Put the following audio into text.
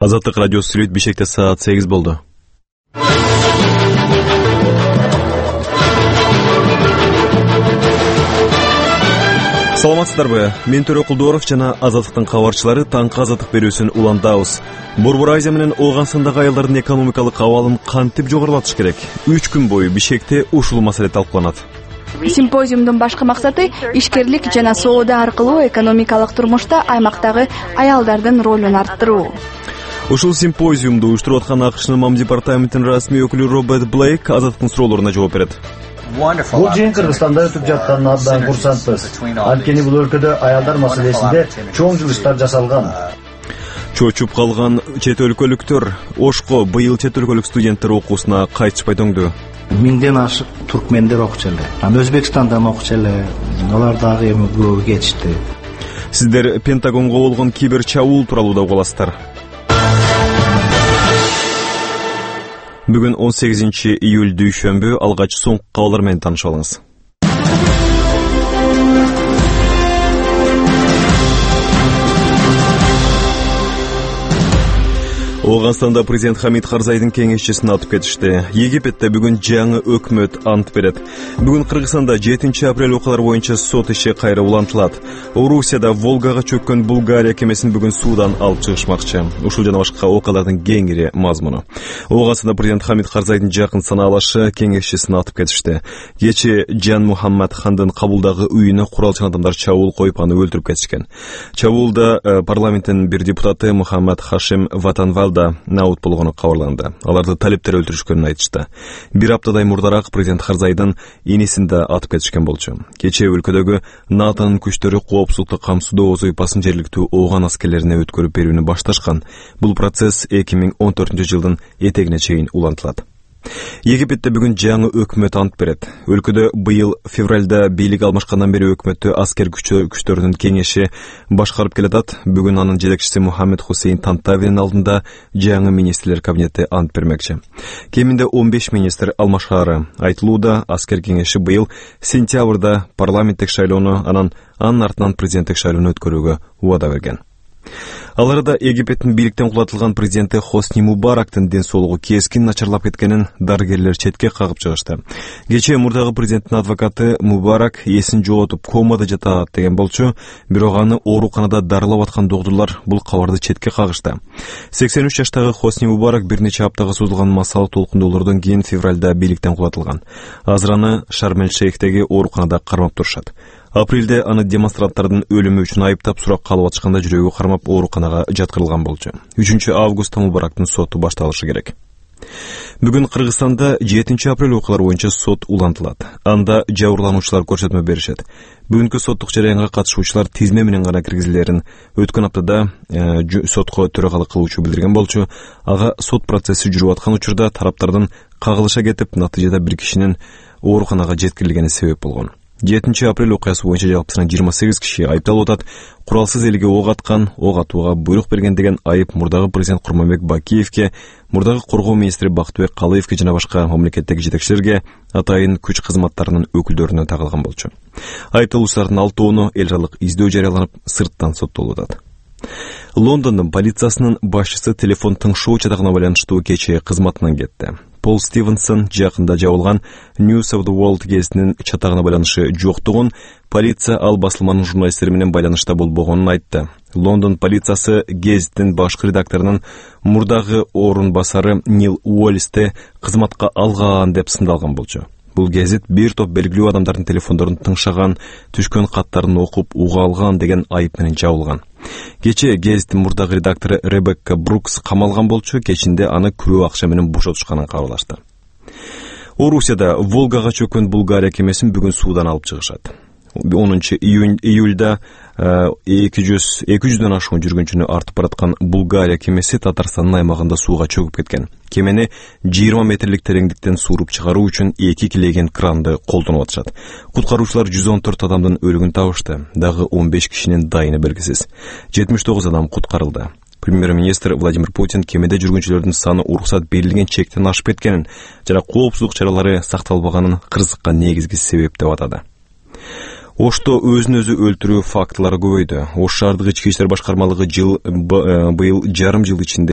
Азаттык радиосу сүрөт Бишкекте саат 8 болду. Саламатсыздарбы? Мен Төрө Кулдуоров жана Азаттыктын кабарчылары таңкы азаттык берүүсүн улантабыз. Борбор Азия менен Ооганстандагы аялдардын экономикалык абалын кантип жогорулатыш керек? 3 күн бою Бишкекте ушул маселе талкууланат. Симпозиумдун башкы максаты ишкерлик жана соода аркылуу экономикалык турмушта аймактагы аялдардын ролун арттыруу. Ушул симпозиумду уюштуруп аткан АКШнын МАМ департаментинин расмий өкүлү Роберт Блейк азаттыктын суроолоруна жооп берет. Бул жыйын Кыргызстанда өтүп жатканына абдан курсантпыз. Анткени бул өлкөдө аялдар маселесинде чоң жылыштар жасалган. Чочуп калган чет өлкөлүктөр Ошко быйыл чет өлкөлүк студенттер окуусуна кайтышпай тоңду. 1000ден ашык туркмендер окучу эле. Өзбекстандан окучу эле. Алар дагы эми көбү кетишти. Сиздер Пентагонго болгон кибер чабуул тууралуу да угасыздар. Бүгүн 18 июль дүйшөмбү, алгач соңку кабарлар менен таанышып алыңыз. Ооганстанда президент Хамид Карзайдын кеңешчисин атып кетишти. Египетте бүгүн жаңы өкмөт ант берет. Бүгүн Кыргызстанда 7 апрель окуялар боюнча сот иши кайра улантылат. Орусияда Волгага чөккөн Булгария кемесин бүгүн суудан алып чыгышмакчы. Ушул жана башка окуялардын кеңири мазмуну. Ооганстанда президент Хамид Карзайдын жакын санаалашы кеңешчисин атып кетишти. Кечээ Жан Мухаммад хандын Кабулдагы үйүнө куралчан адамдар чабуул коюп аны өлтүрүп кетишкен. Чабуулда парламенттин бир депутаты Мухаммад Хашим Ватанвалда наут болгону кабарланды. Аларды талиптер өлтүрүшкөнүн айтышты. Бир аптадай мурдараак президент Карзайдын инисин да атып кетишкен болчу. Кечээ өлкөдөгү НАТОнун күчтөрү коопсуздукту камсыздоо озойпасын жергиликтүү ооган аскерлерине өткөрүп берүүнү башташкан. Бул процесс 2014 жылдын этегине чейин улантылат. Египетте бүгүн жаңы өкмөт ант берет. Өлкөдө быйыл февралда бийлик алмашкандан бери өкмөттү аскер күчтөрүнүн кеңеши башкарып келатат. Бүгүн анын жетекчиси Мухаммед Хусейн Тантавинин алдында жаңы министрлер кабинети ант бермекчи. Кеминде 15 министр алмашаары. Айтылууда аскер кеңеши быйыл сентябрда парламенттик шайлоону анын артынан президенттик шайлоону өткөрүүгө убада берген. Аларда Египеттин бийликтен кулатылган президенти Хосни Мубарактын ден соолугу кескин начарлап кеткенин дарыгерлер четке кагып чыгышты. Кечээ мурдагы президенттин адвокаты Мубарак эсин жоготуп комада жатат деген болчу, бирок аны ооруканада дарылап аткан доктурлар бул кабарды четке кагышты. 83 жаштагы Хосни Мубарак бир нече аптага созулган массалык толкундоолордон кийин февралда бийликтен кулатылган. Азыр аны Шарм-эль-Шейхтеги ооруканада кармап турушат. Апрелде аны демонстранттардын өлүмү үчүн айыптап сурак калып атышканда жүрөгү кармап ооруканага жаткырылган болчу. 3 августта Мубарактын соту башталышы керек. Бүгүн Кыргызстанда 7 апрель окуялар боюнча сот улантылат. Анда жабырлануучулар көрсөтмө беришет. Бүгүнкү соттук жараянга катышуучулар тизме менен гана киргизилерин өткөн аптада сотко төрагалык кылуучу билдирген болчу. Ага сот процесси жүрүп аткан учурда тараптардын кагылыша кетип, натыйжада бир кишинин ооруканага жеткирилгени себеп болгон. 7 апрель окуясы боюнча жалпысынан 28 киши айыпталып атат. Куралсыз элге ок аткан, ок атууга буйрук берген деген айып мурдагы президент Курманбек Бакиевке, мурдагы коргоо министри Бактыбек Калыевке жана башка мамлекеттеги жетекчилерге, атайын күч кызматтарынын өкүлдөрүнө тагылган болчу. Айыпталуучулардын 6-оону эл аралык издөө жарыяланып, сырттан соттолуп атат. Лондондун полициясынын башчысы телефон тыңшоо чатагына байланыштуу кечээ кызматынан кетти. Пол Стивенсон жакында жабылган News of the World гезитинин чатагына байланышы жоктугун, полиция ал басылманын журналисттери менен байланышта болбогонун айтты. Лондон полициясы гезиттин башкы редакторунун мурдагы орун басары Нил Уоллисти кызматка алган деп сындалган болчу. Бул гезит бир топ белгилүү адамдардын телефондорун тыңшаган, түшкөн каттарын окуп уга алган деген айып менен жабылган. Кечээ гезиттин мурдагы редактору Ребекка Брукс камалган болчу, кечинде аны күрөө акча менен бошотушканын кабарлашты. Орусияда Волгага чөккөн Булгария кемесин бүгүн суудан алып чыгышат. 10 июльда 200дөн ашуун жүргүнчүнү артып бараткан Булгария кемеси Татарстандын аймагында сууга чөгүп кеткен. Кемени 20 метрлик тереңдиктен сууруп чыгаруу үчүн 2 килеген кранды колдонуп атышат. Куткаруучулар 114 адамдын өлүгүн табышты. Дагы 15 кишинин дайыны белгисиз. 79 адам куткарылды. Премьер-министр Владимир Путин кемеде жүргүнчүлөрдүн саны уруксат берилген чектен ашып кеткенин жана коопсуздук чаралары сакталбаганын кырсыкка негизги себеп деп атады. Ошто өзүн өзү өлтүрүү фактылары көбөйдү. Ош шаардык ички иштер башкармалыгы быйыл жарым жыл ичинде